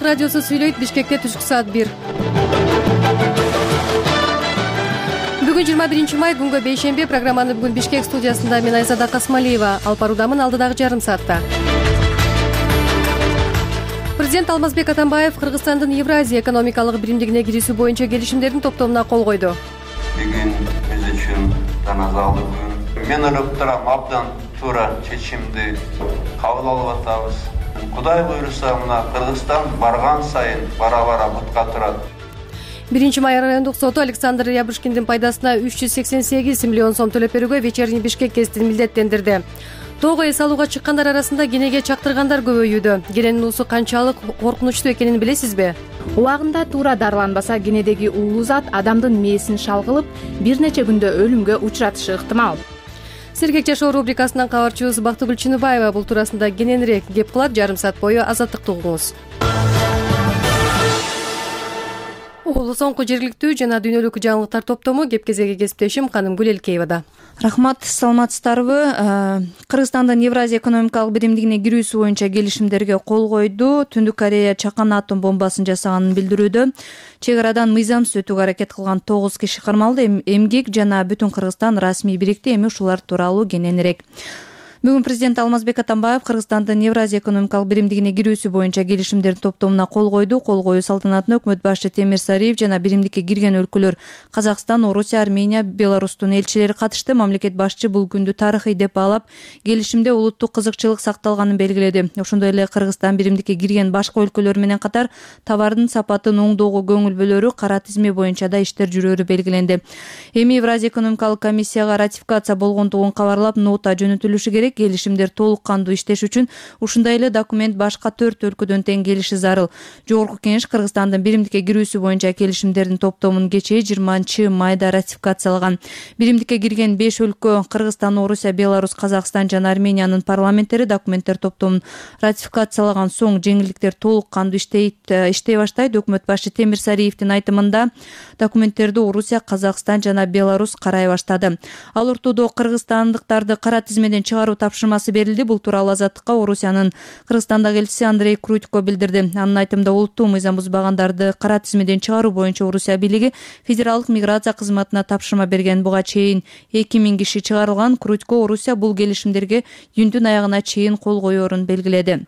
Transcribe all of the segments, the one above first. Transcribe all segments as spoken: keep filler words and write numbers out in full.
Азаттык радиосу сүйлөйт. Бишкекте түшкү саат бир. Бүгүн жыйырма биринчи май, күнгө бейшемби. Программаны бүгүн Бишкек студиясында мен Айзада Касмалиева алып баруудамын. Алдыдагы жарым саатта Президент Алмазбек Атамбаев Кыргызстандын Евразия экономикалык биримдигине кирүүсү боюнча келишимдердин топтомуна кол койду. Бүгүн биз үчүн таназалуу күн. Мен ойлоп турам, абдан туура чечимди кабыл алып атабыз. Кудай буйруса, мына Кыргызстан барган сайын бара-бара бутка турат. Биринчи май райондук соту Александр Ябушкиндин пайдасына үч жүз сексен сегиз миллион сом төлөп берүүгө вечерний Бишкек гезитин милдеттендирди. Тоого эс алууга чыккандар арасында кенеге чактыргандар көбөйүүдө. Кененин уусу канчалык коркунучтуу экенин билесизби? Убагында туура дарыланбаса, кенедеги уулуу зат адамдын мээсин шалгылып, бир нече күндө өлүмгө учуратышы ыктымал. Сергек жашоо рубрикасынан кабарчыбыз Бактыгүл Чыныбаева бул туурасында кененирээк кеп кылат. Жарым саат бою азаттыкты угуңуз. Угулу соңку жергиликтүү жана дүйнөлүк жаңылыктар топтому кеп кезеги кесиптешим Канымгүл Элкеевада. Рахмат, саламатсыздарбы? Кыргызстандын Евразия экономикалык биримдигине кирүүсү боюнча келишимдерге кол койду. Түндүк Корея чакан атом бомбасын жасаганын билдирүүдө. Чек арадан мыйзамсыз өтүүгө аракет кылган тогуз киши кармалды. Эмгек жана бүтүн Кыргызстан расмий бирикти. Эми ушулар тууралуу кененирээк. Бүгүн президент Алмазбек Атамбаев Кыргызстандын Евразия экономикалык биримдигине кирүүсү боюнча келишимдердин топтомуна кол койду. Кол коюу салтанатына өкмөт башчы Темир Сариев жана биримдикке кирген өлкөлөр Казакстан, Орусия, Армения, Беларустун элчилери катышты. Мамлекет башчы бул күндү тарыхый деп баалап, келишимде улуттук кызыкчылык сакталганын белгиледи. Ошондой эле Кыргызстан биримдикке кирген башка өлкөлөр менен катар товардын сапатын оңдоого көңүл бөлөрү, кара тизме боюнча да иштер жүрөөрү белгиленди. Эми Евразия экономикалык комиссияга ратификация болгондугун кабарлап, нота жөнөтүлүшү керек. Келишимдер толук кандуу иштеш үчүн ушундай эле документ башка төрт өлкөдөн тең келиши зарыл. Жогорку Кеңеш Кыргызстандын биримдикке кирүүсү боюнча келишимдердин топтомун кечээ жыйырманчы майда ратификациялаган. Биримдикке кирген беш өлкө Кыргызстан, Орусия, Беларус, Казакстан жана Армениянын парламенттери документтер топтомун ратификациялаган соң жеңилдиктер толук кандуу иштейт, иштей баштайт. Өкмөт башчы Темир Сариевдин айтымында документтерди Орусия, Казакстан жана Беларус карай баштады. Ал ортодо кыргызстандыктарды кара тизмеден чыгаруу тапшырмасы берилди. Бул тууралуу Азаттыкка Орусиянын Кыргызстандагы элчиси Андрей Крутько билдирди. Анын айтымында улуттуу мыйзам бузбагандарды кара тизмеден чыгаруу боюнча Орусия бийлиги федералдык миграция кызматына тапшырма берген. Буга чейин эки миң киши чыгарылган. Крутько Орусия бул келишимдерге июндун аягына чейин кол коерун белгиледи.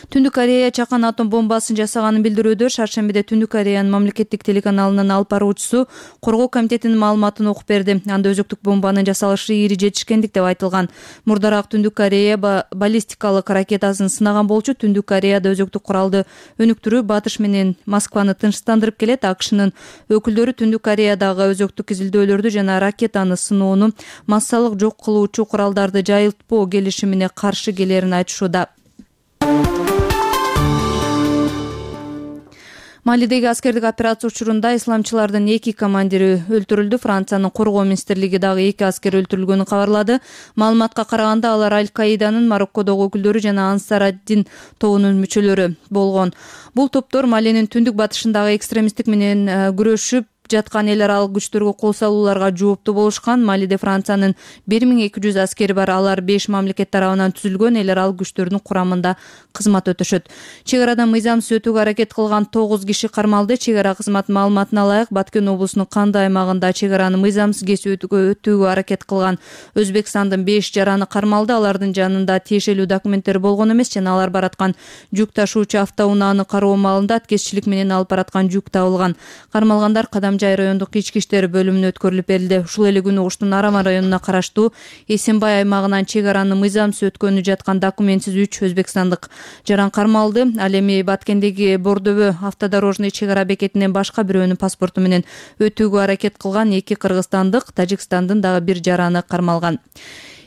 Түндүк Корея чакан атом бомбасын жасаганын билдирүүдө шаршембиде Түндүк Кореянын мамлекеттик телеканалынын алып баруучусу коргоо комитетинин маалыматын окуп берди. Анда өзөктүк бомбанын жасалышы ири жетишкендик деп айтылган. Мурдараак Түндүк Корея баллистикалык ракетасын сынаган болчу. Түндүк Кореяда өзөктүк куралды өнүктүрүү батыш менен Москваны тынчтандырып келет. АКШнын өкүлдөрү Түндүк Кореядагы өзөктүк изилдөөлөрдү жана ракетаны сыноону массалык жок кылуучу куралдарды жайылтпоо келишимине каршы келерин айтышууда. Малидеги аскердик операция учурунда исламчылардын эки командири өлтүрүлдү. Франциянын коргоо министрлиги дагы эки аскер өлтүрүлгөнүн кабарлады. Маалыматка караганда алар Аль-Каиданын Мароккодогу өкүлдөрү жана Ансар-ад-Дин тобунун мүчөлөрү болгон. Бул топтор Малинин түндүк батышындагы экстремисттик менен күрөшүп жаткан эл аралык күчтөргө кол салууларга жооптуу болушкан. Малиде Франциянын бир миң эки жүз аскери бар. Алар беш мамлекет тарабынан түзүлгөн эл аралык күчтөрдүн курамында кызмат өтөшөт. Чек арадан мыйзамсыз өтүүгө аракет кылган тогуз киши кармалды. Чек ара кызматынын маалыматына ылайык, Баткен облусунун Канды аймагында чек араны мыйзамсыз кесип өтүүгө аракет кылган Өзбекстандын беш жараны кармалды. Алардын жанында тиешелүү документтер болгон эмес жана алар бараткан жүк ташуучу автоунааны кароо маалында аткезчилик менен алып бараткан жүк табылган. Кармалгандар Кадам жай райондук ички иштер бөлүмүнө өткөрүлүп берилди. Ушул эле күнү Оштун Арама районуна караштуу Эсенбай аймагынан чек араны мыйзамсыз өткөнү жаткан документсиз үч өзбекстандык жаран кармалды. Ал эми Баткендеги Бордобө автодорожный чек ара бекетинен башка бирөөнүн паспорту менен өтүүгө аракет кылган эки кыргызстандык, Тажикстандын дагы бир жараны кармалган.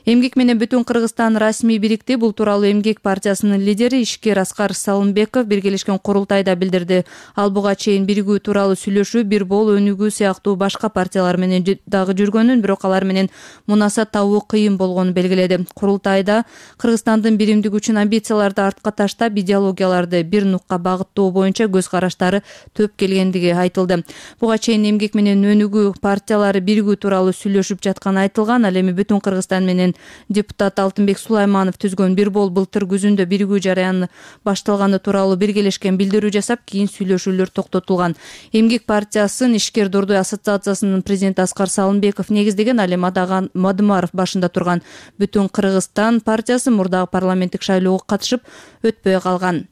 Эмгек менен бүтүн Кыргызстан расмий бирикти. Бул тууралуу Эмгек партиясынын лидери Ишкер Аскар Салымбеков биргелешкен курултайда билдирди. Ал буга чейин биригүү тууралуу сүйлөшүү, бир бол өнүгүү сыяктуу башка партиялар менен дагы жүргөнүн, бирок алар менен мунасат табуу кыйын болгонун белгиледи. Курултайда Кыргызстандын биримдиги үчүн амбицияларды артка таштап, идеологияларды бир нукка багыттоо боюнча көз караштары төп келгендиги айтылды. Буга чейин Эмгек менен өнүгүү партиялары биригүү тууралуу сүйлөшүп жатканы айтылган. Ал эми бүтүн Кыргызстан менен Депутат Алтынбек Сулайманов түзгөн бир бол былтыр күзүндө биригүү жараяны башталганы тууралуу биргелешкен билдирүү жасап, кийин сүйлөшүүлөр токтотулган. Эмгек партиясынын Ишкер Дордой ассоциациясынын президенти Аскар Салымбеков негиздеген, ал эми Мадымаров башында турган Бүтүн Кыргызстан партиясы мурдагы парламенттик шайлоого катышып өтпөй калган.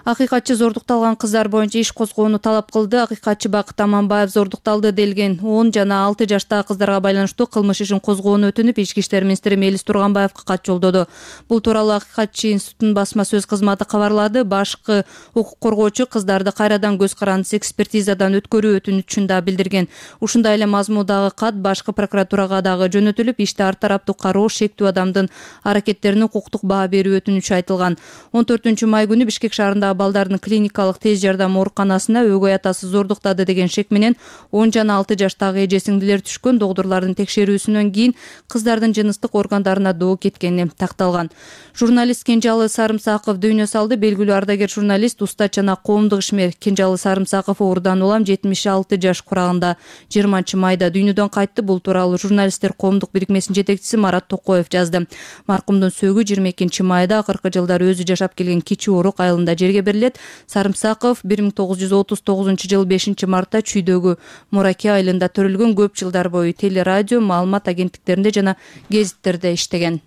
Акыйкатчы зордукталган кыздар боюнча иш козгоону талап кылды. Акыйкатчы Бакыт Аманбаев зордукталды делген он жана алты жаштагы кыздарга байланыштуу кылмыш ишин козгоону өтүнүп, Ички иштер министри Мелис Турганбаевга кат жолдоду. Бул тууралуу Акыйкатчы институтунун басма сөз кызматы кабарлады. Башкы укук коргоочу кыздарды кайрадан көз карандысыз экспертизадан өткөрүү өтүнүчүн да билдирген. Ушундай эле мазмундагы кат башкы прокуратурага дагы жөнөтүлүп, иште ар тараптуу кароо, шектүү адамдын аракеттерине укуктук баа берүү өтүнүчү айтылган. он төртүнчү май күнү Бишкек шаарындагы балдардын клиникалык тез жардам ооруканасына өгөй атасы зордуктады деген шек менен он жана алты жаштагы эже сиңдилер түшкөн. Докторлордун текшерүүсүнөн кийин кыздардын жыныстык органдарына доо кеткени такталган. Журналист Кенжалы Сарымсаков дүйнө салды. Белгилүү ардагер журналист, устат жана коомдук ишмер Кенжалы Сарымсаков оорудан улам жетимиш алты жаш курагында жыйырманчы майда дүйнөдөн кайтты. Бул тууралуу журналисттер коомдук бирикмесинин жетекчиси Марат Токоев жазды. Маркумдун сөөгү жыйырма экинчи майда акыркы жылдары өзү жашап келген Кичи Орук айылында жерге берилет. Сарымсаков бир миң тогуз жүз отуз тогузунчу жылы бешинчи мартта Чүйдөгү Мураке айылында төрөлгөн. Көп жылдар бою телерадио, маалымат агенттиктеринде жана гезиттерде иштеген.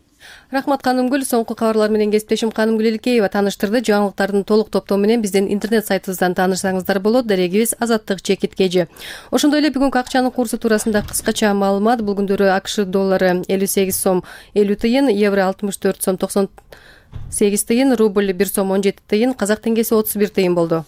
Рахмат Канымгүл. Соңку кабарлар менен кесиптешим Канымгүл Элкеева тааныштырды. Жаңылыктардын толук топтому менен биздин интернет сайтыбыздан таанышсаңыздар болот. Дарегибиз Азаттык Чекит Кежи. Ошондой эле бүгүнкү акчанын курсу туурасында кыскача маалымат. Бул күндөрү АКШ доллары элүү сегиз сом элүү тыйын, евро алтымыш төрт сом токсон сегиз тыйын, рубль бир сом он жети тыйын, казак теңгеси отуз бир тыйын болду.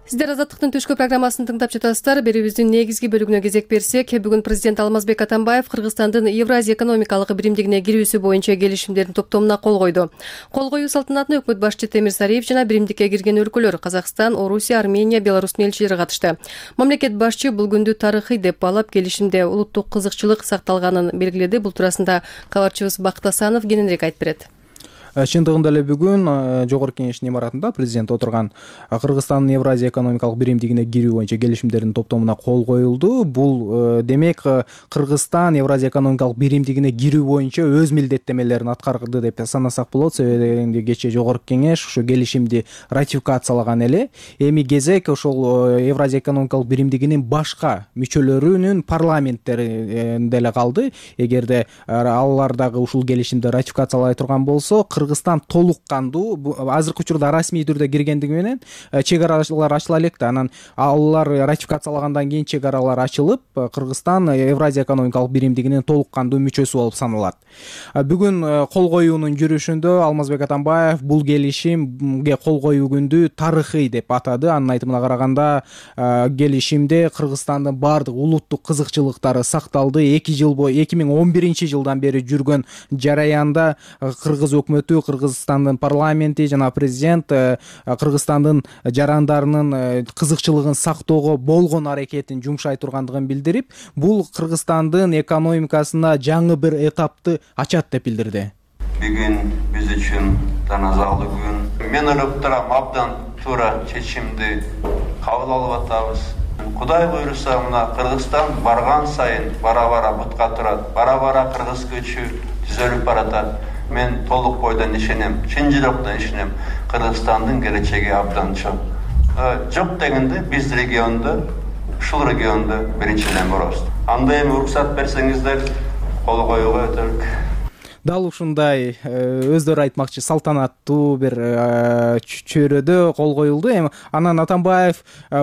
Сиздер Азаттыктын түшкү программасын тыңдап жатасыздар. Берүүбүздүн негизги бөлүгүнө кезек берсек, бүгүн президент Алмазбек Атамбаев Кыргызстандын Евразия экономикалык биримдигине кирүүсү боюнча келишимдердин топтомуна кол койду. Кол коюу салтанатына өкмөт башчы Темир Сариев жана биримдикке кирген өлкөлөр Казакстан, Орусия, Армения, Беларустун элчилери катышты. Мамлекет башчы бул күндү тарыхый деп баалап, келишимде улуттук кызыкчылык сакталганын белгиледи. Бул туурасында кабарчыбыз Бакыт Асанов кененирээк айтып берет. Чындыгында эле бүгүн Жогорку Кеңештин имаратында президент отурган Кыргызстандын Евразия экономикалык биримдигине кирүү боюнча келишимдердин топтомуна кол коюлду. Бул демек Кыргызстан Евразия экономикалык биримдигине кирүү боюнча өз милдеттемелерин аткарды деп санасак болот. Себеби кечээ Жогорку Кеңеш ушу келишимди ратификациялаган эле. Эми кезек ошол Евразия экономикалык биримдигинин башка мүчөлөрүнүн парламенттеринде эле калды. Эгерде алар дагы ушул келишимди ратификациялай турган болсо, Кыргызстан толук кандуу азыркы учурда расмий түрдө киргендиги менен чек аралар ачыла элек да. Анан алар ратификациялагандан кийин чек аралар ачылып, Кыргызстан Евразия экономикалык биримдигинин толук кандуу мүчөсү болуп саналат. Бүгүн кол коюунун жүрүшүндө Алмазбек Атамбаев бул келишимге кол коюу күндү тарыхый деп атады. Анын айтымына караганда, келишимде Кыргызстандын баардык улуттук кызыкчылыктары сакталды. эки жыл бою эки миң он биринчи жылдан бери жүргөн жараянда Кыргыз өкмөтү, Кыргызстандын парламенти жана президент Кыргызстандын жарандарынын кызыкчылыгын сактоого болгон аракетин жумшай тургандыгын билдирип, бул Кыргызстандын экономикасына жаңы бир этапты ачат деп билдирди. Бүгүн биз үчүн таназалуу күн. Мен ойлоп турам, абдан туура чечимди кабыл алып атабыз. Кудай буйруса, мына Кыргызстан барган сайын бара-бара бутка турат, бара-бара кыргыз көчү түзөлүп баратат. Мен толук бойдон ишенем, чын жүрөктөн ишенем. Кыргызстандын келечеги абдан чоң. Жок дегенде биз региондо, ушул региондо биринчиден болобуз. Анда эми уруксат берсеңиздер, кол коюуга өтөлүк. Дал ушундай өздөрү айтмакчы салтанаттуу бир чөйрөдө кол коюлду. Эми анан Атамбаев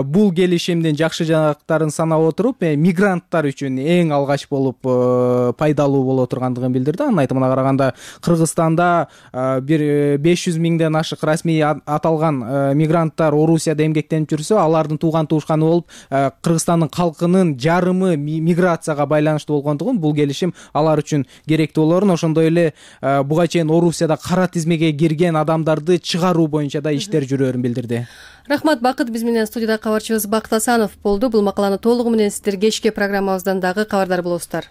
бул келишимдин жакшы жактарын санап отуруп, мигранттар үчүн эң алгач болуп пайдалуу боло тургандыгын билдирди. Анын айтымына караганда, Кыргызстанда бир беш жүз миңден ашык расмий аталган мигранттар Орусияда эмгектенип жүрсө, алардын тууган туушканы болуп, Кыргызстандын калкынын жарымы миграцияга байланыштуу болгондугун, бул келишим алар үчүн керектүү болорун, ошондой эле буга чейин Орусияда кара тизмеге кирген адамдарды чыгаруу боюнча да иштер жүрөөрүн билдирди. Рахмат Бакыт. Биз менен студияда кабарчыбыз Бакыт Асанов болду. Бул макаланы толугу менен сиздер кечки программабыздан дагы кабардар болосуздар.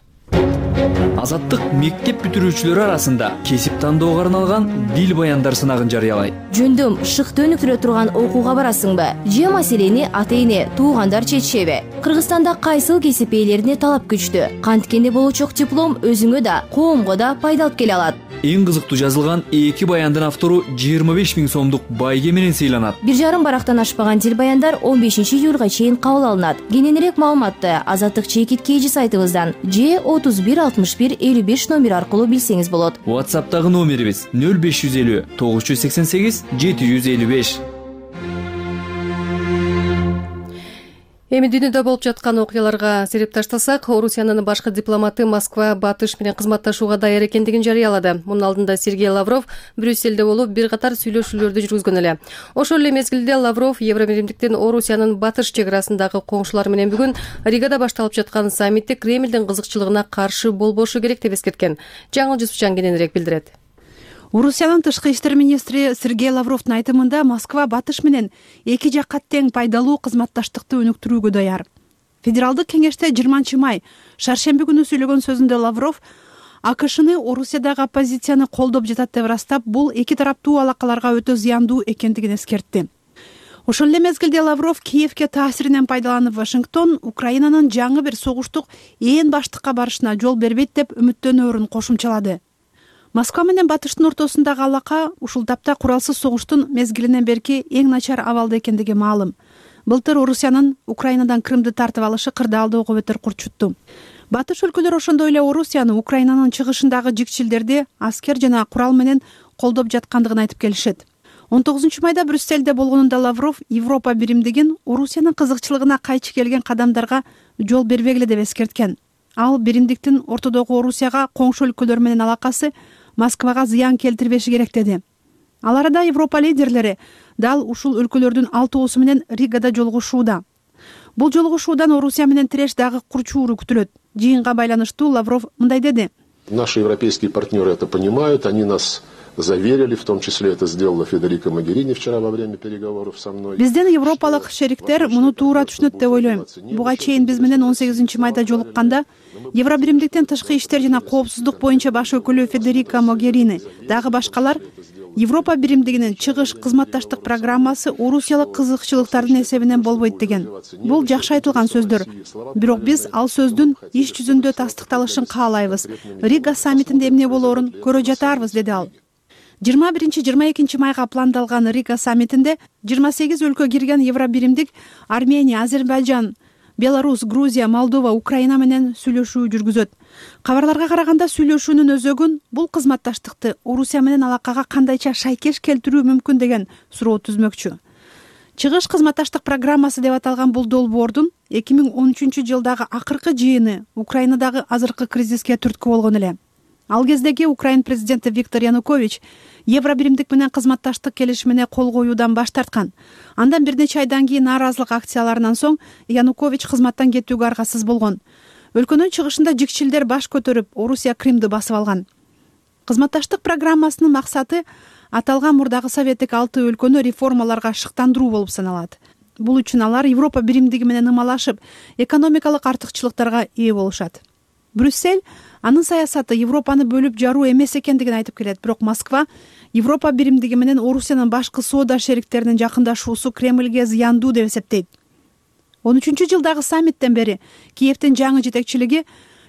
Азаттык мектеп бүтүрүүчүлөрү арасында кесип тандоого арналган дил баяндар сынагын жарыялайт. Жөндөм шыкты өнүктүрө турган окууга барасыңбы? Же маселени ата-эне, туугандар чечишеби? Кыргызстанда кайсыл кесип ээлерине талап күчтүү? Канткенде болочок диплом өзүңө да, коомго да пайда алып келе алат. Эң кызыктуу жазылган эки баяндын автору жыйырма беш миң сомдук байге менен сыйланат. Бир жарым барактан ашпаган дил баяндар он бешинчи июлга чейин кабыл алынат. Кененирээк маалыматты Азаттык чекит кейжи сайтыбыздан же отуз бир алтымыш бир элүү беш номер аркылуу билсеңиз болот. WhatsApp'тагы номерибиз нөл беш жүз элүү тогуз жүз сексен сегиз жети жүз элүү беш. Эми дүйнөдө болуп жаткан окуяларга сереп таштасак, Орусиянын башкы дипломаты Москва Батыш менен кызматташууга даяр экендигин жарыялады. Мунун алдында Сергей Лавров Брюсселде болуп бир катар сүйлөшүүлөрдү жүргүзгөн эле. Ошол эле мезгилде Лавров Евробиримдиктин Орусиянын Батыш чек арасындагы коңшулары менен бүгүн Ригада башталып жаткан саммитте Кремлдин кызыкчылыгына каршы болбошу керек деп эскерткен. Жаңыл Жусупчан кененирээк билдирет. Орусиянын тышкы иштер министри Сергей Лавровдун айтымында Москва Батыш менен эки жакка тең пайдалуу кызматташтыкты өнүктүрүүгө даяр. Федералдык кеңеште жыйырманчы май шаршемби күнү сөйлөгөн сөзүндө Лавров АКШны Орусиядагы оппозицияны колдоп жатат деп ырастап, бул эки тараптуу алакаларга өтө зыяндуу экендигин эскертти. Ошол эле мезгилде Лавров Киевке таасиринен пайдаланып, Вашингтон Украинанын жаңы бир согуштук ээн баштыкка барышына жол бербейт деп үмүттөнөөрүн кошумчалады. Москва менен Батыштын ортосундагы алака ушул тапта куралсыз согуштун мезгилинен берки эң начар абалда экендиги маалым. Былтыр Орусиянын Украинадан Крымды тартып алышы кырдаалдоого бетер курчутту. Батыш өлкөлөр ошондой эле Орусияны Украинанын чыгышындагы жикчилдерди аскер жана курал менен колдоп жаткандыгын айтып келишет. он тогузунчу майда Брюссельде болгонунда Лавров Европа биримдигин Орусиянын кызыкчылыгына кайчы келген кадамдарга жол бербегиле деп эскерткен. Ал биримдиктин ортодогу Орусияга коңшу өлкөлөр менен алакасы Москвага зыян келтирбеши керек деди. Ал арада Европа лидерлери дал ушул өлкөлөрдүн алтоосу менен Ригада жолугушууда. Бул жолугушуудан Орусия менен тиреш дагы курчууру күтүлөт. Жыйынга байланыштуу Лавров мындай деди. Наши европейские партнеры это понимают, они нас заверили, в том числе это сделала Федерика Могерини вчера во время переговоров со мной. Бизден европалык шериктер муну туура түшүнөт деп ойлойм. Буга чейин биз менен он сегизинчи майда жолукканда Евробиримдиктин тышкы иштер жана коопсуздук боюнча баш өкүлү Федерика Могерини, дагы башкалар Европа биримдигинин чыгыш кызматташтык программасы орусиялык кызыкчылыктардын эсебинен болбойт деген. Бул жакшы айтылган сөздөр. Бирок биз ал сөздүн иш жүзүндө тастыкталышын каалайбыз. Рига саммитинде эмне болоорун көрө жатарбыз, деди ал. жыйырма биринчи жыйырма экинчи майга пландалган Рига саммитинде жыйырма сегиз өлкө кирген Евробиримдик Армения, Азербайжан, Беларусь, Грузия, Молдова, Украина менен сүйлөшүү жүргүзөт. Кабарларга караганда сүйлөшүүнүн өзөгүн бул кызматташтыкты Орусия менен алакага кандайча шайкеш келтирүү мүмкүн деген суроо түзмөкчү. Чыгыш кызматташтык программасы деп аталган бул долбоордун эки миң он үчүнчү жылдагы акыркы жыйыны Украинадагы азыркы кризиске түрткү болгон эле. Ал кездеги Украин президенти Виктор Янукович Евробиримдик менен кызматташтык келишимине кол коюудан баш тарткан. Андан бир нече айдан кийин нааразылык акцияларынан соң Янукович кызматтан кетүүгө аргасыз болгон. Өлкөнүн чыгышында жикчилдер баш көтөрүп, Орусия Кримди басып алган. Кызматташтык программасынын максаты аталган мурдагы советтик алты өлкөнү реформаларга шыктандыруу болуп саналат. Бул үчүн алар Европа биримдиги менен ымалашып, экономикалык артыкчылыктарга ээ болушат. Брюссель анын саясаты Европаны бөлүп жаруу эмес экендигин айтып келет, бирок Москва Европа биримдиги менен Орусиянын башкы соода шериктеринин жакындашуусу Кремлге зыяндуу деп эсептейт. он үчүнчү жылдагы саммиттен бери Киевдин жаңы жетекчилиги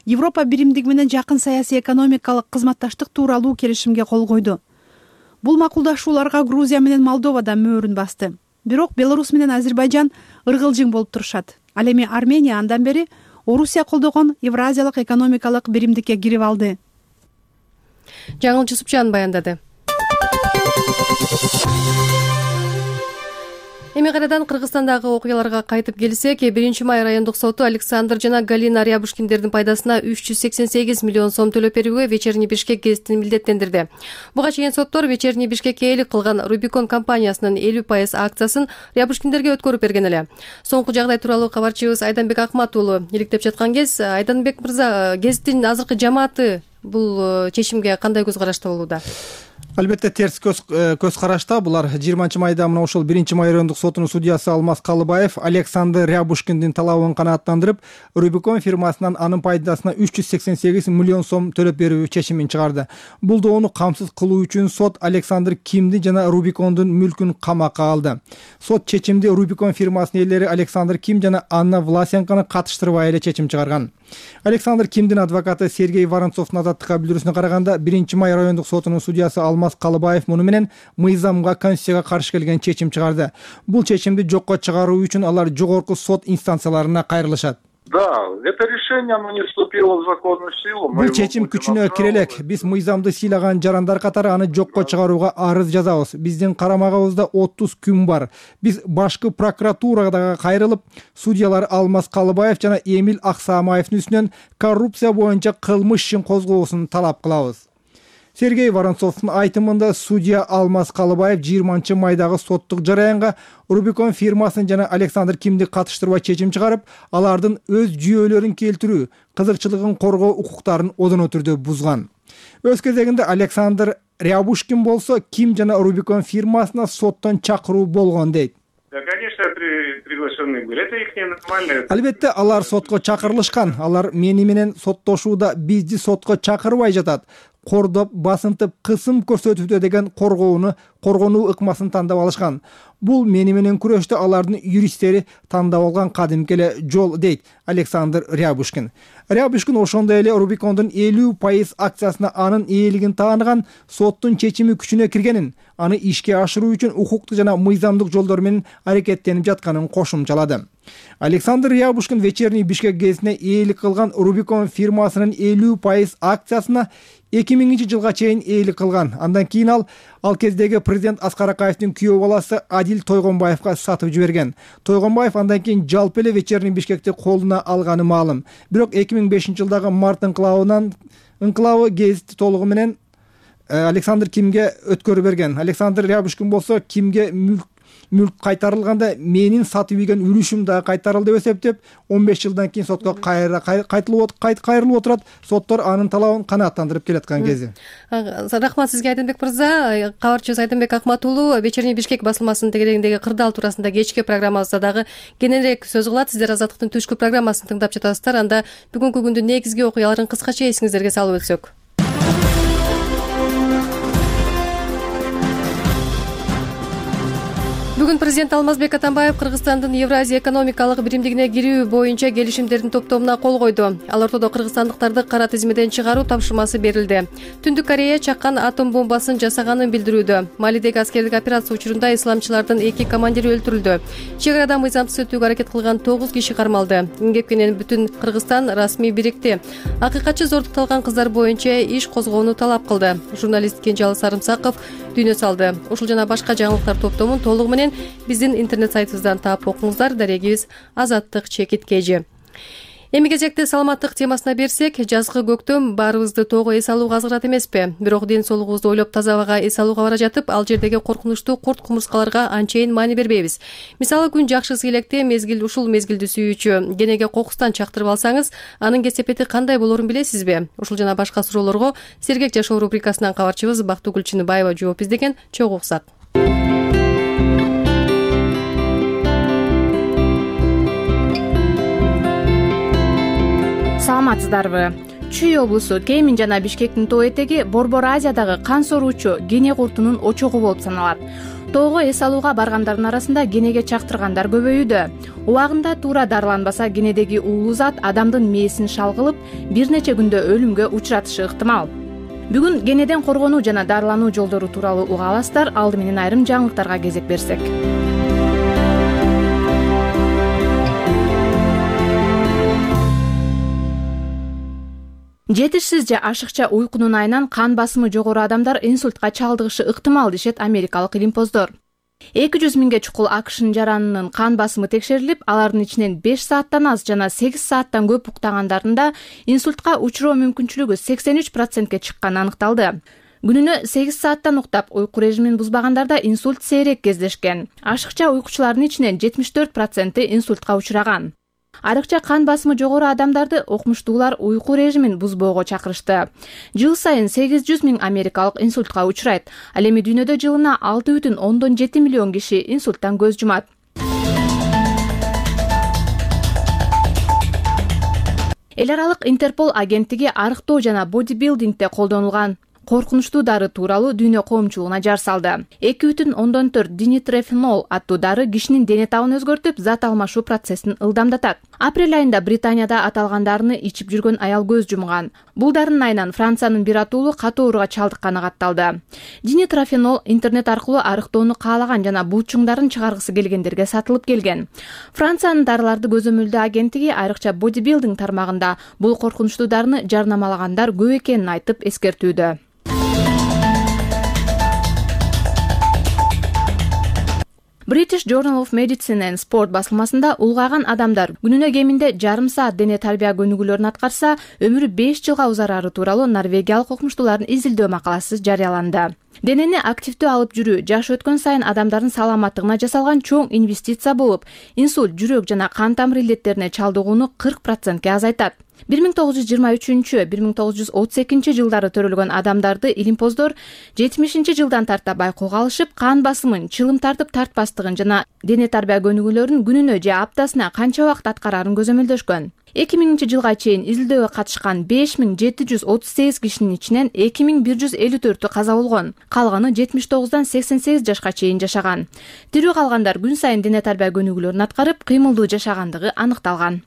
Европа биримдиги менен жакын саясий экономикалык кызматташтык тууралуу келишимге кол койду. Бул макулдашууларга Грузия менен Молдова да мөөрүн басты. Бирок Беларусь менен Азербайжан ыргылжың болуп турушат. Ал эми Армения андан бери Орусия колдогон Евразиялык экономикалык биримдикке кирип алды. Жаңыл Жусупчан баяндады. Эми кайрадан Кыргызстандагы окуяларга кайтып келсек, биринчи май райондук соту Александр жана Галина Рябушкиндердин пайдасына үч жүз сексен сегиз миллион сом төлөп берүүгө Вечерний Бишкек гезитин милдеттендирди. Буга чейин соттор Вечерний Бишкекке ээлик кылган Рубикон компаниясынын элүү пайыз акциясын Рябушкиндерге өткөрүп берген эле. Соңку жагдай тууралуу кабарчыбыз Айданбек Акмат уулу иликтеп жаткан кез, Айданбек мырза, гезиттин азыркы жамааты бул чечимге кандай көз карашта болууда? Албетте терс көз карашта. Булар жыйырманчы майда мына ошол биринчи май райондук сотунун судьясы Алмаз Калыбаев Александр Рябушкиндин талабын канааттандырып, Рубикон фирмасынан анын пайдасына үч жүз сексен сегиз миллион сом төлөп берүү чечимин чыгарды. Бул доону камсыз кылуу үчүн сот Александр Кимди жана Рубикондун мүлкүн камакка алды. Сот чечимди Рубикон фирмасынын ээлери Александр Ким жана Анна Власенканы катыштырбай эле чечим чыгарган. Александр Кимдин адвокаты Сергей Воронцовдун азаттыкка билдирүүсүнө караганда, биринчи май райондук сотунун судьясы Алмаз Калыбаев муну менен мыйзамга, конституцияга каршы келген чечим чыгарды. Бул чечимди жокко чыгаруу үчүн алар жогорку сот инстанцияларына кайрылышат. Да, это решение, оно не вступило в законную силу. Бул чечим күчүнө кире элек. Биз мыйзамды сыйлаган жарандар катары аны жокко чыгарууга арыз жазабыз. Биздин карамагыбызда отуз күн бар. Биз башкы прокуратурага кайрылып, судьялар Алмаз Калыбаев жана Эмил Аксамаевдин үстүнөн коррупция боюнча кылмыш ишин козгоосун талап кылабыз. Сергей Воронцовдун айтымында судья Алмаз Калыбаев жыйырманчы майдагы соттук жараянга Рубикон фирмасын жана Александр Кимди катыштырбай чечим чыгарып, алардын өз жүйөлөрүн келтирүү, кызыкчылыгын коргоо укуктарын одоно түрдө бузган. Өз кезегинде Александр Рябушкин болсо Ким жана Рубикон фирмасына соттон чакыруу болгон дейт. Да, конечно, приглашенные были. Это их нормально. Албетте, алар сотко чакырылышкан. Алар мени менен соттошууда бизди сотко чакырбай жатат. Кордоп, басынтып, кысым көрсөтүүдө деген коргоону, коргонуу ыкмасын тандап алышкан. Бул мени менен күрөштө алардын юристтери тандап алган кадимки эле жол, дейт Александр Рябушкин. Рябушкин ошондой эле Рубикондун элүү пайыз акциясына анын ээлигин тааныган, соттун чечими күчүнө киргенин, аны ишке ашыруу үчүн укуктук жана мыйзамдык жолдор менен аракеттенип жатканын кошумчалады. Александр Рябушкин вечерний Бишкек гезитине ээлик кылган Рубикон фирмасынын элүү пайыз акциясына эки миңинчи жылга чейин ээлик кылган. Андан кийин ал ал кездеги президент Аскар Акаевдин күйөө баласы Адил Тойгонбаевга сатып жиберген. Тойгонбаев андан кийин жалпы эле вечерний Бишкекти колуна алганы маалым. Бирок эки миң бешинчи жылдагы март инкылабынан инкылабы гезити толугу менен Александр Кимге өткөрүп берген. Александр Рябушкин болсо Кимге мүлк мүлк кайтарылганда менин сатып ийген үлүшүм да кайтарылды деп эсептеп, он беш жылдан кийин сотко кайра кайтылып кайрылып отурат. Соттор анын талабын канааттандырып келаткан кези. Рахмат сизге, Айдынбек мырза. Кабарчыбыз Айдынбек Акмат уулу вечерний Бишкек басылмасынын тегерегиндеги кырдаал туурасында кечки программабызда дагы кененирээк сөз кылат. Сиздер Азаттыктын түшкү программасын тыңдап жатасыздар. Анда бүгүнкү күндүн негизги окуяларын кыскача эсиңиздерге салып өтсөк. Бүгүн президент Алмазбек Атамбаев Кыргызстандын Евразия экономикалык биримдигине кирүү боюнча келишимдердин топтомуна кол койду. Ал ортодо кыргызстандыктарды кара тизмеден чыгаруу тапшырмасы берилди. Түндүк Корея чаккан атом бомбасын жасаганын билдирүүдө. Малидеги аскердик операция учурунда исламчылардын эки командири өлтүрүлдү. Чек арада мыйзамсыз өтүүгө аракет кылган тогуз киши кармалды. Кепкенен бүтүн Кыргызстан расмий бирикти. Акыйкатчы зордукталган кыздар боюнча иш козгоону талап кылды. Журналист Кенжалы Сарымсаков дүйнө салды. Ушул жана башка жаңылыктар топтомун толугу менен биздин интернет сайтыбыздан таап окуңуздар. Дарегибиз Азаттык чекит кежи. Эми кезекте саламаттык темасына берсек, жазгы көктөм баарыбызды тоого эс алууга азгырат эмеспи? Бирок ден соолугубузду ойлоп таза абага эс алууга бара жатып, ал жердеги коркунучтуу курт кумурскаларга анчейин маани бербейбиз. Мисалы, күн жакшысы электе мезгил ушул мезгилди сүйүүчү денеге кокустан чактырып алсаңыз, анын кесепети кандай болорун билесизби? Ушул жана башка суроолорго Сергек жашоо рубрикасынан кабарчыбыз Бактыгүл Чыныбаева жооп издеген. Чогуу уксак. Саламатсыздарбы? Чүй облусу Кемин жана Бишкектин тоо этеги Борбор Азиядагы кан соруучу Гене куртунун очогу болуп саналат. Тоого эс алууга баргандардын арасында генеге чактыргандар көбөйүүдө. Убагында туура дарыланбаса, генедеги уулуу зат адамдын мээсин шалгылып, бир нече күндө өлүмгө учуратышы ыктымал. Бүгүн генеден коргонуу жана дарылануу жолдору тууралуу уга аласыздар. Алды менен айрым жаңылыктарга кезек берсек. Жетишсиз же ашыкча уйкунун айынан кан басымы жогору адамдар инсультка чалдыгышы ыктымал дешет америкалык илимпоздор. эки жүз миңге чукул АКШнын жаранынын кан басымы текшерилип, алардын ичинен беш сааттан аз жана сегиз сааттан көп уктагандарында инсультка учуроо мүмкүнчүлүгү сексен үч процентке чыкканы аныкталды. Күнүнө сегиз сааттан уктап, уйку режимин бузбагандарда инсульт сейрек кездешкен. Ашыкча уйкучулардын ичинен жетимиш төрт проценти инсультка учураган. Айрыкча кан басымы жогору адамдарды окумуштуулар уйку режимин бузбоого чакырышты. Жыл сайын сегиз жүз миң америкалык инсультка учурайт. Ал эми дүйнөдө жылына алты бүтүн ондон жети миллион киши инсульттан көз жумат. Эл аралык Интерпол агенттиги арыктоо жана бодибилдингде колдонулган коркунучтуу дары тууралуу дүйнө коомчулугуна жар салды. эки бүтүн ондон төрт динитрофенол аттуу дары кишинин дене табын өзгөртүп, зат алмашуу процессин ылдамдатат. Апрель айында Британияда аталган дарыны ичип жүргөн аял көз жумган. Бул дарынын айынан Франциянын бир атуулу катуу ооруга чалдыкканы катталды. Динитрофенол интернет аркылуу арыктоону каалаган жана булчуңдарын чыгаргысы келгендерге сатылып келген. Франциянын дарыларды көзөмөлдөө агенттиги айрыкча бодибилдинг тармагында бул коркунучтуу дарыны жарнамалагандар көп экенин айтып эскертүүдө. British Journal of Medicine and Sport басылмасында улгайган адамдар күнүнө кеминде жарым саат дене тарбия көнүгүүлөрүн аткарса, өмүрү беш жылга узарары тууралуу норвегиялык окумуштуулардын изилдөө макаласы жарыяланды. Денени активдүү алып жүрүү жаш өткөн сайын адамдардын саламаттыгына жасалган чоң инвестиция болуп, инсульт, жүрөк жана кан тамыр илеттерине чалдыгууну кырк процентке азайтат. бир миң тогуз жүз жыйырма үчүнчү — бир миң тогуз жүз отуз экинчи жылдары төрөлгөн адамдарды илимпоздор жетимишинчи жылдан тарта байкоого алышып, кан басымын, чылым тартып тартпастыгын жана дене тарбия көнүгүүлөрүн күнүнө же аптасына канча убакыт аткарарын көзөмөлдөшкөн. эки миңинчи жылга чейин изилдөөгө катышкан беш миң жети жүз отуз сегиз кишинин ичинен эки миң бир жүз элүү төртү каза болгон. Калганы жетимиш тогуздан сексен сегиз жашка чейин жашаган. Тирүү калгандар күн сайын дене тарбия көнүгүүлөрүн аткарып, кыймылдуу жашагандыгы аныкталган.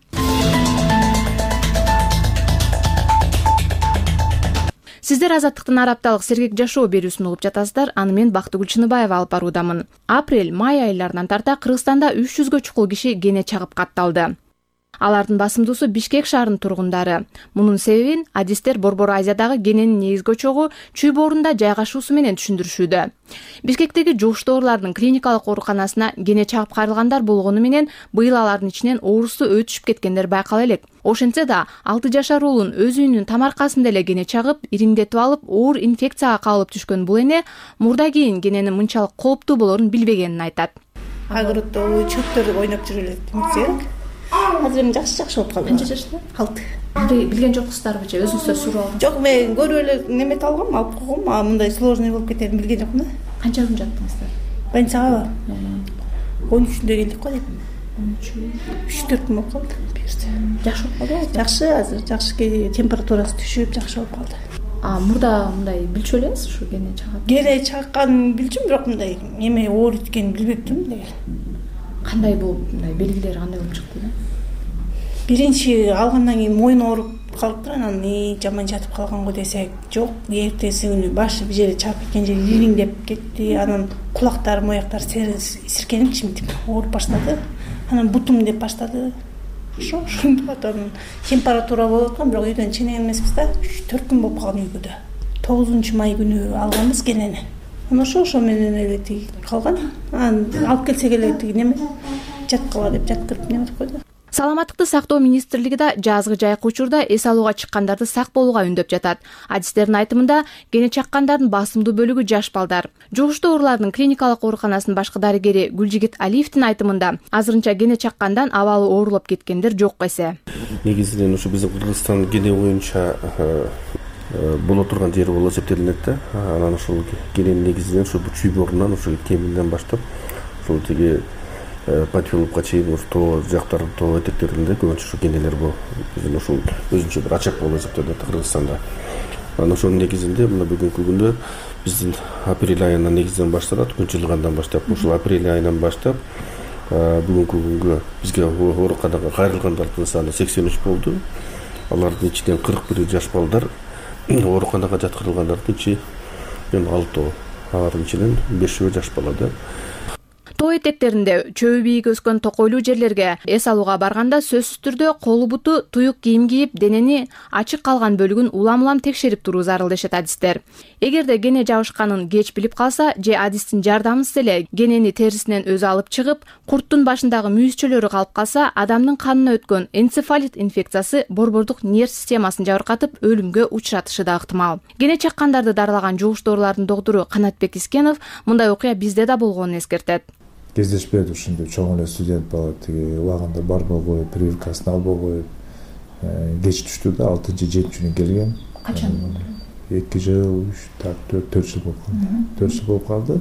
Сиздер Азаттыктын араб апталык сергек жашоо берүүсүн угуп жатасыздар. Аны мен Бактыгүл Чыныбаева алып баруудамын. Апрель-май айларынан тарта Кыргызстанда үч жүзгө чукул киши кене чагып катталды. Алардын басымдуусу Бишкек шаарынын тургундары. Мунун себебин адистер Борбор Азиядагы кененин негизги очогу Чүй боорунда жайгашуусу менен түшүндүрүшүүдө. Бишкектеги жугуштуу оорулардын клиникалык ооруканасына кене чагып кайрылгандар болгону менен быйыл алардын ичинен оорусу өтүшүп кеткендер байкала элек. Ошентсе да алты жашар уулун өз үйүнүн тамаркасында эле кене чагып, ириңдетип алып, оор инфекцияга кабылып түшкөн бул эне мурда кийин кененин мынчалык кооптуу болорун билбегенин айтат. Агыротто чөптөр ойноп жүрүп элек демек. Азыр эми жакшы жакшы болуп калды. Канча жашта? алты. Билген жоксуздарбы же өзүңүздөр сурап алдыңыз? Жок, мен көрүп эле неме алгам, алып койгом. А мындай сложный болуп кетерин билген жокмун да. Канча күн жаттыңыздар? Больницага он үчүндө келдик го дейм. үч төрт күн болуп калды. Жакшы болуп калдыбы? Жакшы, азыр жакшы, температурасы түшүп, жакшы болуп калды. А мурда мындай билчү элеңиз ушу кене чагат? Кене чакканын билчүм, бирок мындай эме оор эткенин билбептим деген. Кандай болуп, мындай белгилери кандай болуп чыкты да? Биринчи алгандан кийин мойун ооруп калыптыр, анан и жаман жатып калган го десек, жок. Эртеси күнү башы бир жерде чагып кеткен жери ириңдеп кетти. Анан кулактар, мояктар сиркенип, чимтип ооруп баштады. Анан бутум деп баштады. Ошо ошондон температура болуп аткан, бирок үйдөн ченеген эмеспиз да. үч төрт күн болуп калган үйгө да. тогузунчу май күнү алганбыз кенени. Анан ошо ошо менен эле тиги калган. Анан алып келсек эле тиги неме жаткыла деп жаткырып неметип койду. Саламаттыкты сактоо министрлиги да жазгы жайкы учурда эс алууга чыккандарды сак болууга үндөп жатат. Адистердин айтымында кене чаккандардын басымдуу бөлүгү жаш балдар. Жугуштуу оорулардын клиникалык ооруканасынын башкы дарыгери Гүлжигит Алиевдин айтымында азырынча кене чаккандан абалы оорулуп кеткендер жок эсе. Негизинен ушу биздин Кыргызстан кене боюнча боло турган жери болуп эсептелинет да. Анан ушул кененин негизинен ушу Чүй боорунан ушул кеминден баштап ушул тиги Патилупка чейин ушу тоо жактар, тоо этектеринде көбүнчө ушу кенелер бул. Биздин ушул өзүнчө бир ачак болуп эсептелет Кыргызстанда. Анан ошонун негизинде мына бүгүнкү күндө биздин апрель айынан негизинен башталат, күн жылгандан баштап. Ушул апрель айынан баштап бүгүнкү күнгө бизге ооруканага кайрылгандардын саны сексен үч болду. Алардын ичинен кырк бир жаш балдар, ооруканага жаткырылгандардын ичинен алтоо, алардын ичинен бешөө жаш бала да. Тоо этектеринде чөбү бийик өскөн токойлуу жерлерге эс алууга барганда сөзсүз түрдө колу буту туюк кийим кийип, денени ачык калган бөлүгүн улам-улам текшерип туруу зарыл дешет адистер. Эгерде кене жабышканын кеч билип калса же адистин жардамысыз эле кенени терисинен өзү алып чыгып, курттун башындагы мүйүзчөлөрү калып калса, адамдын канына өткөн энцефалит инфекциясы борбордук нерв системасын жабыркатып, өлүмгө учуратышы да ыктымал. Кене чаккандарды даралаган жугуштуу оорулардын доктору Канатбек Искенов мындай окуя бизде да болгонун эскертет. кездешпеди ушундай чоң эле студент бала тиги убагында барбай коюп прививкасын албай коюп кеч түштү да алтынчы жетинчи күнү келген. Качан? эки жыл, үч, так, төрт, төрт жыл болуп калды. төрт жыл болуп калды.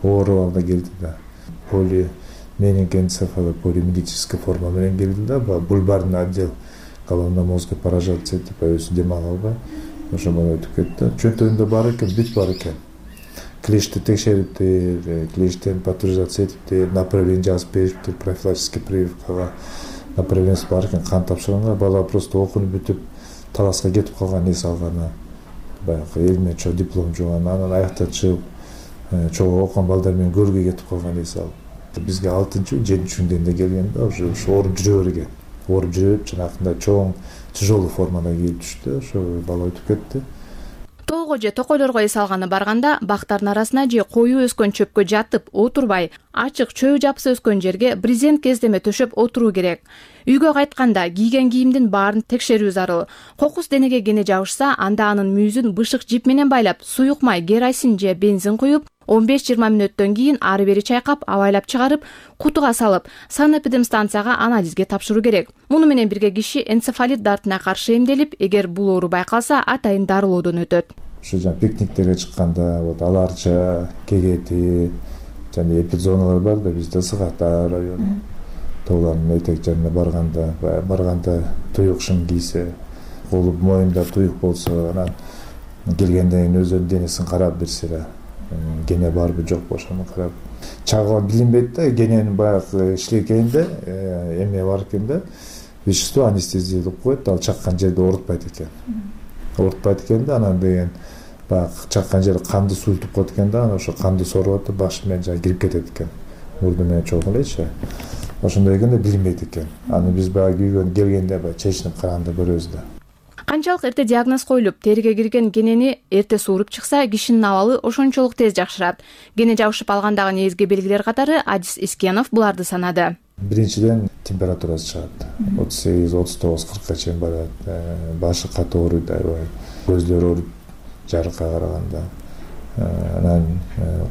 Ооруп алда келди да. Поли менингоэнцефало полимилитическая форма менен келди да. Бульбарный отдел головно-мозговой поражаться этип өзү дем ала албай, ошо менен өтүп кетти. Чөнтөгүндө бар экен, бүт бар экен. Клешти текшериптир, клештен патуризация этиптир, направление жазып бериптир, профилактический прививкага направлениеси бар экен, кан тапшырганга. Бала просто окунуп бүтүп таласка кетип калган, эс алганы. Баягы эл менен чоң диплом жууган, анан аяктан чыгып чогуу окуган балдар менен көргөй кетип калган, эс алып. Бизге алтынчы, жетинчи күндө келген да, уже ооруп жүрө берген. Ооруп жүрүп, жанакындай чоң тяжелый формада келип түштү, ошо бала өтүп кетти. Тоого же токойлорго эс алганы барганда бактардын арасына же коюу өскөн чөпкө жатып отурбай, ачык чөй жапсы өскөн жерге брезент кездеме төшөп отуруу керек. Үйгө кайтканда кийген кийимдин баарын текшерүү зарыл. Кокус денеге кене жабышса, анда анын мүйүзүн бышык жип менен байлап, суюк май, керосин же бензин куюп, он беш жыйырма мүнөттөн кийин ары бери чайкап, абайлап чыгарып, кутуга салып, санэпидемстанцияга анализге тапшыруу керек. Муну менен бирге киши энцефалит дартына каршы эмделип, эгер бул оору байкалса, атайын дарылоодон өтөт. Ушу жана пикниктерге чыкканда, вот аларча, кегети, жана эпидзоналар бар да, бизде Сыгата району. Тоолардын этек жарына барганда, барганда туюк шым кийсе, колу моюнда туюк болсо, анан келгенден кийин өзүнүн денесин карап берсе, гене барбы жокпу ошону карап. Чагыла билинбейт да, гененин баягы иштегенде эме бар экен да, вещество анестезия деп коет, ал чаккан жерде оорутпайт экен. Оорутпайт экен да, анан деген баягы чаккан жери канды суйлтуп коет экен да, анан ошо канды соруп атып баш менен жана кирип кетет экен. Мурду менен чогуу элечи. Ошондой экен да билинбейт экен. Аны биз баягы үйгө келгенде баягы чечинип караганда көрөбүз да. Канчалык эрте диагноз коюлуп, териге кирген генени эрте сууруп чыкса, кишинин абалы ошончолук тез жакшырат. Гене жабышып алгандагы негизги белгилер катары Адис Искенов буларды санады. Биринчиден температурасы чыгат. отуз сегиз, отуз тогуз, кыркка чейин барат. Башы катуу ооруйт, аябай. Көздөр ооруйт жарыкка караганда. Анан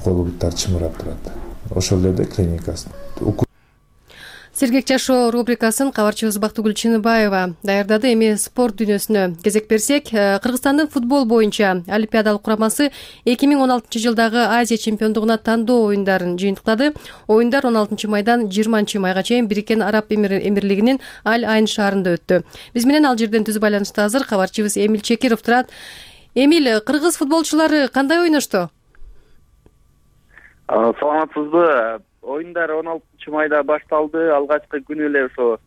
колу буттар чымырап турат. Ошол эле клиникасы. Сергек жашоо рубрикасын кабарчыбыз Бактыгүл Чыныбаева даярдады. Эми спорт дүйнөсүнө кезек берсек, Кыргызстандын футбол боюнча олимпиадалык курамасы эки миң он алтынчы жылдагы Азия чемпиондугуна тандоо оюндарын жыйынтыктады. Оюндар он алтынчы майдан жыйырманчы майга чейин Бириккен Араб Эмирлигинин Аль-Айн шаарында өттү. Биз менен ал жерден түз байланышта азыр кабарчыбыз Эмил Чекиров турат. Эмил, кыргыз футболчулары кандай ойношту? Саламатсызбы? Оюндар он алтынчы майда башталды. Алгачкы күнү эле ошо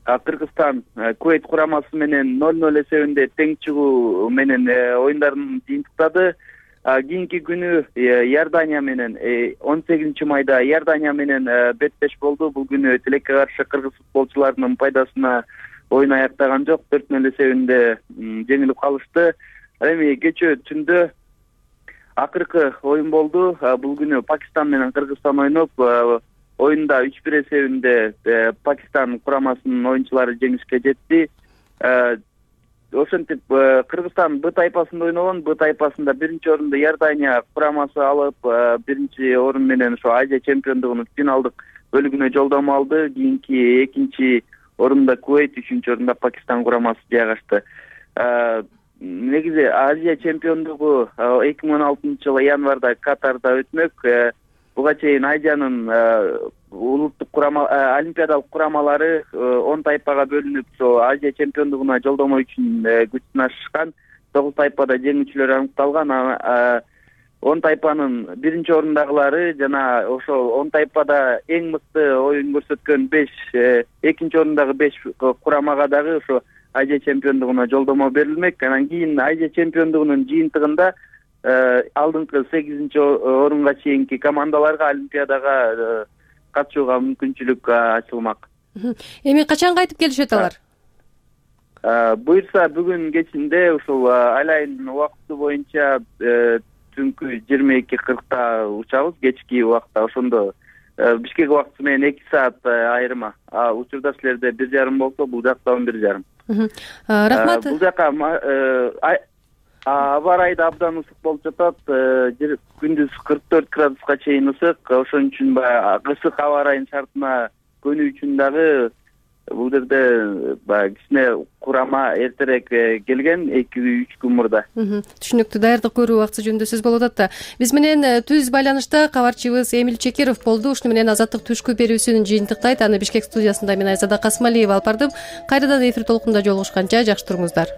Кыргызстан Кувейт курамасы менен ноль ноль эсебинде тең чыгуу менен оюндарын жыйынтыктады. Кийинки күнү Иордания менен он сегизинчи майда Иордания менен беттеш болду. Бул күнү тилекке каршы кыргыз футболчуларынын пайдасына оюн аяктаган жок. төрт ноль эсебинде жеңилип калышты. Эми кечээ түндө акыркы оюн болду. Бул күнү Пакистан менен Кыргызстан ойноп, оюнда үч бир эсебинде Пакистан курамасынын оюнчулары жеңишке жетти. Ошентип Кыргызстан Б тайпасында ойногон, Б тайпасында биринчи орунду Иордания курамасы алып, биринчи орун менен ошо Азия чемпиондугунун финалдык бөлүгүнө жолдомо алды. Кийинки экинчи орунда Кувейт, үчүнчү орунда Пакистан курамасы жайгашты. Негизи Азия чемпиондугу эки миң он алтынчы жылы январда Катарда өтмөк. Буга чейин Азиянын улуттук курама олимпиадалык курамалары он тайпага бөлүнүп, ошо Азия чемпиондугуна жолдомо үчүн күч сынашышкан. тогуз тайпада жеңүүчүлөр аныкталган. он тайпанын биринчи орундагылары жана ошол он тайпада эң мыкты оюн көрсөткөн беш, экинчи орундагы беш курамага дагы ошо Азия чемпиондугуна жолдомо берилмек. Анан кийин Азия чемпиондугунун жыйынтыгында алдыңкы сегизинчи орунга чейинки командаларга олимпиадага катышууга мүмкүнчүлүк ачылмак. Эми качан кайтып келишет алар? Буюрса бүгүн кечинде ушул Аль-Айн убакыты боюнча түнкү жыйырма эки кыркта учабыз, кечки убакта. Ошондо Бишкек убакыты менен эки саат айырма. Учурда силерде бир жарым болсо, бул жакта он бир жарым. Рахмат. Бул жака аба ырайы да абдан ысык болуп жатат. Күндүз кырк төрт градуска чейин ысык. Ошон үчүн баягы ысык аба ырайынын шартына көнүү үчүн дагы бул жерде баягы кичине курама эртерээк келген, эки үч күн мурда. Түшүнүктүү. Даярдык көрүү убактысы жөнүндө сөз болуп атат да. Биз менен түз байланышта кабарчыбыз Эмил Чекиров болду. Ушуну менен Азаттык түшкү берүүсүн жыйынтыктайт. Аны Бишкек студиясында мен Айзада Касмалиева алып бардым. Кайрадан эфир толкунунда жолугушканча жакшы туруңуздар.